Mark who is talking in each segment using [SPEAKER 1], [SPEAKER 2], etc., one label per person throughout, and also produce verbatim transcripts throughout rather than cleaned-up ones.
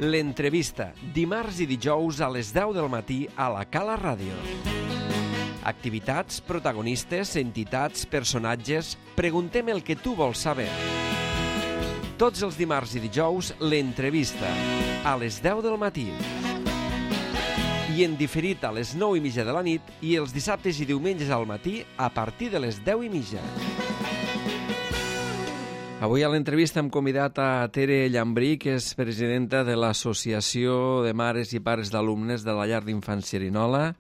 [SPEAKER 1] L'entrevista, dimarts i dijous a les deu del matí a la Cala Ràdio. Activitats, protagonistes, entitats, personatges... Preguntem el que tu vols saber. Tots els dimarts i dijous, l'entrevista, a les deu del matí. I en diferit a les nou i mitja de la nit i els dissabtes i diumenges al matí a partir de les deu i mitja. Avui a l'entrevista hem convidat a Tere Llambrí, que és presidenta de l'Associació de Mares i Pares d'Alumnes de la Llar d'Infants Xerinola.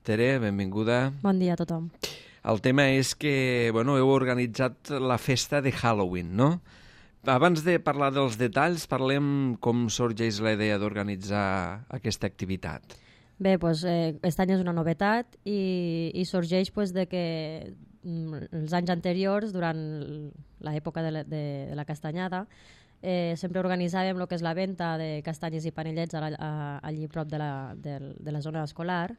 [SPEAKER 1] Tere, benvinguda.
[SPEAKER 2] Bon dia a tothom.
[SPEAKER 1] El tema és que bueno, heu organitzat la festa de Halloween, no? Abans de parlar dels detalls, parlem com sorgeix la idea d'organitzar aquesta activitat.
[SPEAKER 2] Bé, doncs, eh, aquest any és una novetat i, i sorgeix pues, de que els anys anteriors, durant l'època de, la, de, de la castanyada, eh, sempre organitzàvem el que és la venda de castanyes i panellets a la, a, allí prop de la, de, de la zona escolar.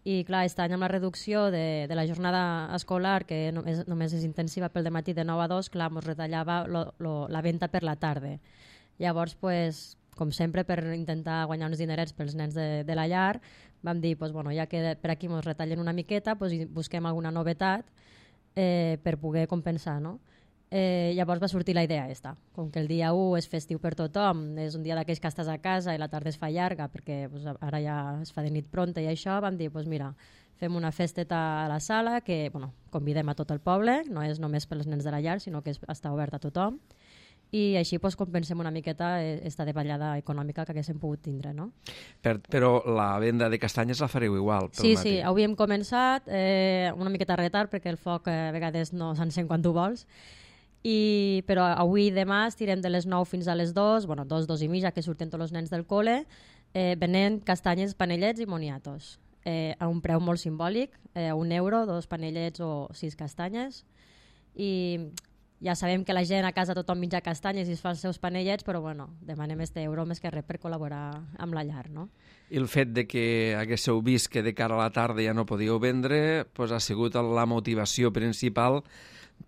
[SPEAKER 2] I clar, aquest any amb la reducció de, de la jornada escolar, que només, només és intensiva pel dematí de nou a dos, clar, ens retallava lo, lo, la venda per la tarda. Llavors, pues, com sempre, per intentar guanyar uns dinerets pels nens de, de la llar, vam dir, pues, bueno, ja que per aquí ens retallen una miqueta, pues, busquem alguna novetat eh, per poder compensar, no? Eh, llavors va sortir la idea aquesta. Com que el dia u és festiu per tothom, és un dia d'aquells que estàs a casa i la tarda es fa llarga perquè pues, ara ja es fa de nit pronta i això, vam dir, pues, mira, fem una festeta a la sala que bueno, convidem a tot el poble, no és només pels nens de la llar, sinó que és, està obert a tothom. I així pues, compensem una miqueta esta davallada econòmica que haguéssim pogut tindre, no?
[SPEAKER 1] Per, però la venda de castanyes la fareu igual pel
[SPEAKER 2] sí,
[SPEAKER 1] matí?
[SPEAKER 2] Sí, avui hem començat eh, una miqueta retard perquè el foc eh, a vegades no s'encén quan tu vols, I, però avui i demà estirem de les nou fins a les dues, bueno, dos, dos i mitja, que surten tots els nens del col·le, eh, venent castanyes, panellets i moniatos, eh, a un preu molt simbòlic, eh, a un euro, dos panellets o sis castanyes, i ja sabem que la gent a casa tothom menja castanyes i es fa els seus panellets, però bueno, demanem este euro més que res per col·laborar amb la llar, no?
[SPEAKER 1] I el fet de que haguéssiu vist que de cara a la tarda ja no podíeu vendre, pues, ha sigut la motivació principal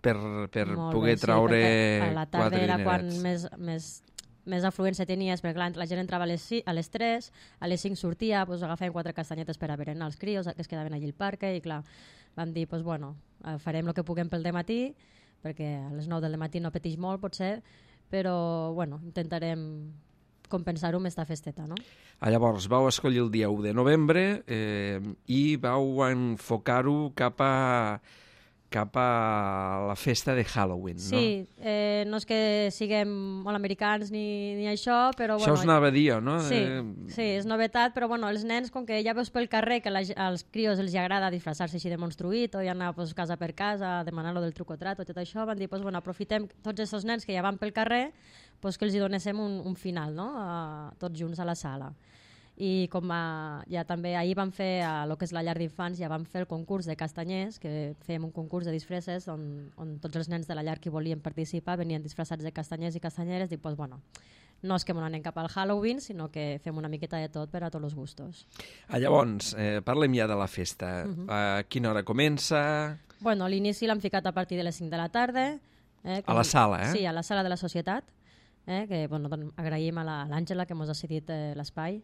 [SPEAKER 1] per, per poder bé, traure
[SPEAKER 2] sí, a la tarda
[SPEAKER 1] quatre
[SPEAKER 2] era
[SPEAKER 1] dinerets.
[SPEAKER 2] Quan més, més, més afluència tenies, perquè clar, la gent entrava a les, a les tres, a les cinc sortia, pues, agafàvem quatre castanyetes per a berenar els crios que es quedaven allí al parc i clar, vam dir, pues, bueno, farem el que puguem pel dematí, perquè a les nou del matí no petix molt, potser, però bueno, intentarem compensar-ho amb esta festeta, no?
[SPEAKER 1] Ah, llavors, vau escollir el dia u de novembre eh, i vau enfocar-ho cap a cap a la festa de Halloween,
[SPEAKER 2] sí,
[SPEAKER 1] no?
[SPEAKER 2] Sí, eh, no és que siguem molt americans ni, ni això, però...
[SPEAKER 1] Això
[SPEAKER 2] bueno,
[SPEAKER 1] us anava a dir, no?
[SPEAKER 2] Sí,
[SPEAKER 1] eh...
[SPEAKER 2] sí, és novetat, però bueno, els nens, com que ja veus pel carrer que la, als crios els agrada disfressar-se així de monstruït o ja anar pues, casa per casa a demanar-lo del truc o trat o tot això, van dir, pues, bueno, aprofitem tots aquests nens que ja van pel carrer, pues, que els hi donéssim un, un final, no? A, tots junts a la sala. I com a, ja també ahir vam fer a lo que és la llar d'infants, ja vam fer el concurs de castanyers, que fèiem un concurs de disfresses on, on tots els nens de la llar que volien participar venien disfressats de castanyers i castanyeres, i pues, bueno, no és que m'ho anem cap al Halloween, sinó que fem una miqueta de tot per a tots els gustos.
[SPEAKER 1] Ah, llavors, eh, parlem ja de la festa. Uh-huh. A quina hora comença?
[SPEAKER 2] Bueno, l'inici l'hem ficat a partir de les cinc de la tarda. Eh, com...
[SPEAKER 1] A la sala, eh?
[SPEAKER 2] Sí, a la sala de la societat, eh, que bueno, doncs, agraïm a l'Àngela que ens ha cedit eh, l'espai.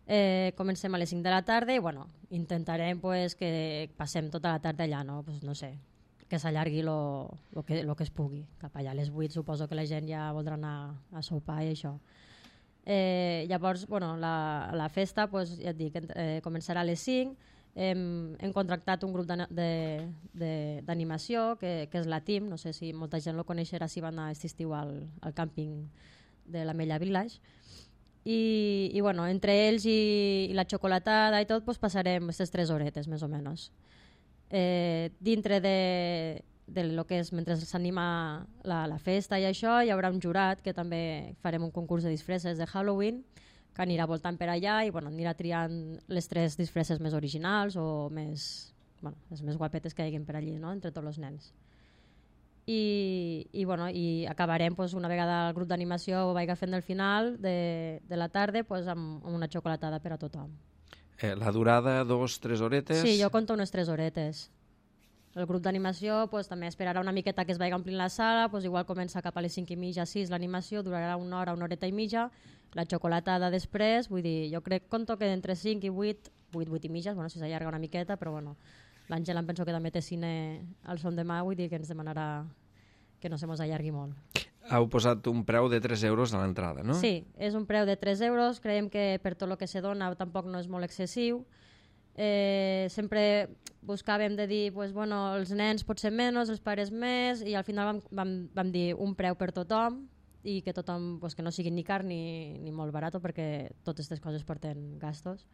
[SPEAKER 2] Eh, comencem a les cinc de la tarda i bueno, intentarem pues, que passem tota la tarda allà, no, pues, no sé, que s'allargui lo, lo, que, lo que es pugui. Cap allà a les vuit suposo que la gent ja voldrà anar a sopar i això. Eh, llavors, bueno, la, la festa, pues, ja et dic, eh, començarà a les cinc. Hem, hem contractat un grup d'animació que, que és la T I M, no sé si molta gent lo coneixerà si van anar aquest estiu al, al càmping de la Mella Village. I, i bueno, entre ells i, i la xocolatada i tot pues, passarem aquestes tres horetes més o menys. Eh, dintre de, de lo que és mentre s'anima la, la festa i això hi haurà un jurat que també farem un concurs de disfresses de Halloween que anirà voltant per allà i bueno, anirà triant les tres disfresses més originals o més, bueno, les més guapetes que hi haguin per allí, no? Entre tots els nens. I, i, bueno, i acabarem pues, una vegada el grup d'animació ho vagi fent del final de, de la tarda pues, amb, amb una xocolatada per a tothom.
[SPEAKER 1] Eh, la durada, dos, tres horetes?
[SPEAKER 2] Sí, jo conto unes tres horetes. El grup d'animació pues, també esperarà una miqueta que es vagi omplint la sala, pues, igual comença cap a les cinc i mitja, sis l'animació, durarà una hora, una horeta i mitja, La xocolatada després, vull dir, jo crec, conto que entre cinc i vuit, vuit, vuit i mitges, bueno, si s'allarga una miqueta, però bueno, l'Àngela em penso que també té cine al son demà, vull dir que ens demanarà que no se mos allargui molt.
[SPEAKER 1] Heu posat un preu de tres euros a l'entrada, no?
[SPEAKER 2] Sí, és un preu de tres euros, creiem que per tot el que se dona tampoc no és molt excessiu. Eh, sempre buscàvem de dir, pues, bueno, els nens potser menys, els pares més, i al final vam, vam, vam dir un preu per tothom, i que tothom, pues, que no sigui ni car ni, ni molt barat, perquè totes aquestes coses porten gastos.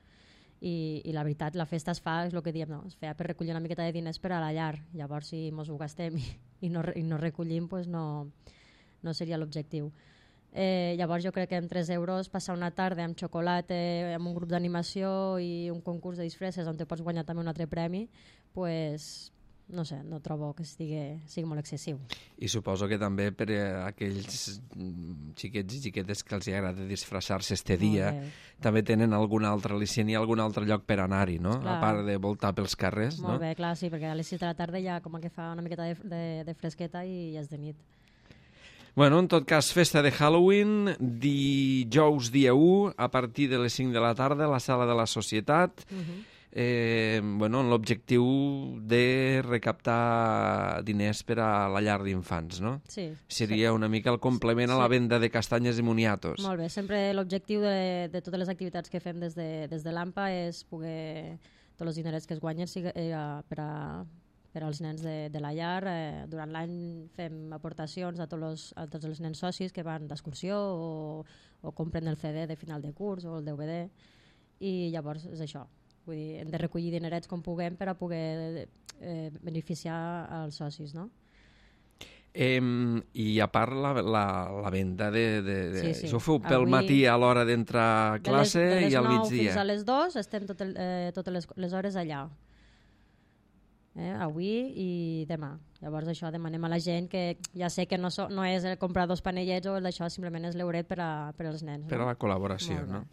[SPEAKER 2] I, i la veritat, la festa es fa, és el que diem, no? Es feia per recollir una miqueta de diners per a la llar. Llavors, si mos ho gastem i, i, no, i no recollim, pues no, no seria l'objectiu. Eh, llavors jo crec que amb tres euros passar una tarda amb xocolata, amb un grup d'animació i un concurs de disfresses on te pots guanyar també un altre premi, pues, no sé, no trobo que estigui, sigui molt excessiu.
[SPEAKER 1] I suposo que també per a aquells xiquets i xiquetes que els agrada disfressar-se este dia, també tenen algun altre al·licient i algun altre lloc per anar-hi, no? Clar. A part de voltar pels carrers,
[SPEAKER 2] molt
[SPEAKER 1] no?
[SPEAKER 2] Molt bé, clar, sí, perquè a les sis de la tarda ja com que fa una miqueta de, de, de fresqueta i ja és de nit.
[SPEAKER 1] Bueno, en tot cas, festa de Halloween, dijous dia u, a partir de les cinc de la tarda, a la sala de la Societat, uh-huh. eh, bueno, amb l'objectiu de recaptar diners per a la llar d'infants, no?
[SPEAKER 2] Sí.
[SPEAKER 1] Seria
[SPEAKER 2] sí.
[SPEAKER 1] una mica el complement sí. a la venda de castanyes i moniatos.
[SPEAKER 2] Molt bé, sempre l'objectiu de, de totes les activitats que fem des de, des de l'A M P A és poder, tots els dinerets que es guanyen sigui, eh, per a... per als nens de, de la llar. Eh, durant l'any fem aportacions a tots, los, a tots els nens socis que van d'excursió o, o compren el C D de final de curs o el D V D, i llavors és això. Vull dir, hem de recollir dinerets com puguem per a poder eh, beneficiar als socis, no?
[SPEAKER 1] Eh, I a part la, la, la venda de... de, de sí, sí. Això ho feu pel
[SPEAKER 2] Avui,
[SPEAKER 1] matí a l'hora d'entrar a classe
[SPEAKER 2] de les, de les
[SPEAKER 1] i al migdia.
[SPEAKER 2] fins a les dues estem tot el, eh, totes les, les hores allà. Eh, avui i demà. Llavors això demanem a la gent que ja sé que no, so, no és el comprar dos panellets o el d'això, simplement és l'euret per, a, per als nens.
[SPEAKER 1] Per
[SPEAKER 2] no?
[SPEAKER 1] a la col·laboració, no?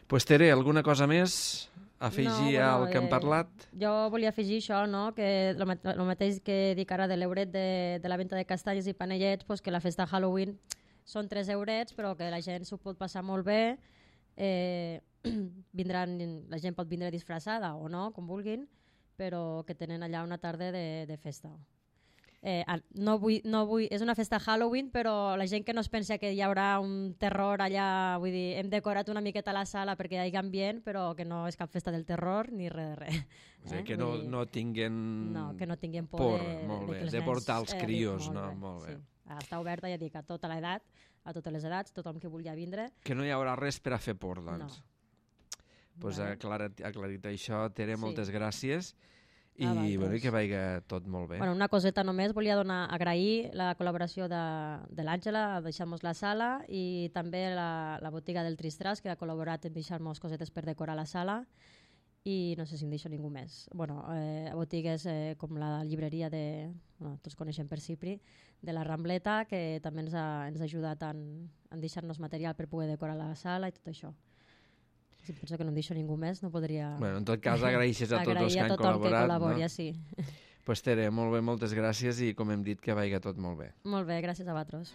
[SPEAKER 1] Pues Tere, alguna cosa més a afegir no, bueno, al que hem parlat?
[SPEAKER 2] Eh, jo volia afegir això, no? Que el mateix que dic ara de l'euret de, de la venda de castanyes i panellets, pues que la festa de Halloween són tres eurets, però que la gent s'ho pot passar molt bé. Eh, vindran, la gent pot vindre disfressada o no, com vulguin, però que tenen allà una tarda de, de festa. Eh, no vull, no vull, és una festa Halloween, però la gent que no es pensa que hi haurà un terror allà, vull dir, hem decorat una miqueta la sala perquè hi hagi ambient, però que no és cap festa del terror ni res de res. Eh?
[SPEAKER 1] O sigui, que no, no tinguin
[SPEAKER 2] no, que no tinguin por,
[SPEAKER 1] por
[SPEAKER 2] de,
[SPEAKER 1] molt
[SPEAKER 2] de,
[SPEAKER 1] bé,
[SPEAKER 2] de,
[SPEAKER 1] de portar els
[SPEAKER 2] eh,
[SPEAKER 1] crios,
[SPEAKER 2] molt
[SPEAKER 1] no?
[SPEAKER 2] Bé,
[SPEAKER 1] molt bé.
[SPEAKER 2] Sí. Està oberta, ja dic, a tota l'edat, a totes les edats, tothom que vulgui vindre.
[SPEAKER 1] Que no hi haurà res per a fer por, doncs.
[SPEAKER 2] No.
[SPEAKER 1] Pues
[SPEAKER 2] vale.
[SPEAKER 1] aclarit, aclarit això, Tere,
[SPEAKER 2] sí.
[SPEAKER 1] moltes gràcies. I,
[SPEAKER 2] ah,
[SPEAKER 1] bueno, i que vagi tot molt bé.
[SPEAKER 2] Bueno, una coseta només, volia donar, agrair la col·laboració de, de l'Àngela a deixar-nos la sala i també la, la botiga del Tristras, que ha col·laborat en deixar-nos cosetes per decorar la sala, i no sé si em deixo ningú més. Bueno, eh, botigues eh, com la llibreria de, bueno, tots coneixem per Cipri, de la Rambleta, que també ens ha, ens ha ajudat en, en deixar-nos material per poder decorar la sala i tot això. Si penso que no em deixo ningú més, no podria...
[SPEAKER 1] Bueno, en tot cas, agraeixes a tots els que han col·laborat.
[SPEAKER 2] Que col·labori, no? Sí.
[SPEAKER 1] Pues Tere, molt bé, moltes gràcies i com hem dit, que vagi tot molt bé.
[SPEAKER 2] Molt bé, gràcies a vosaltres.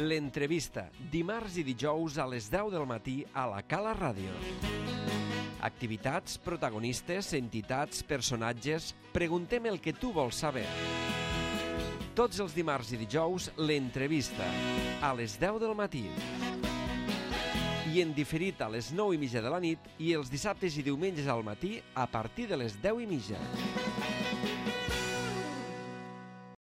[SPEAKER 1] L'entrevista, dimarts i dijous a les deu del matí a la Cala Ràdio. Activitats, protagonistes, entitats, personatges... Preguntem el que tu vols saber. Tots els dimarts i dijous, l'entrevista, a les deu del matí. I en diferit a les nou i mitja de la nit i els dissabtes i diumenges al matí a partir de les deu i mitja.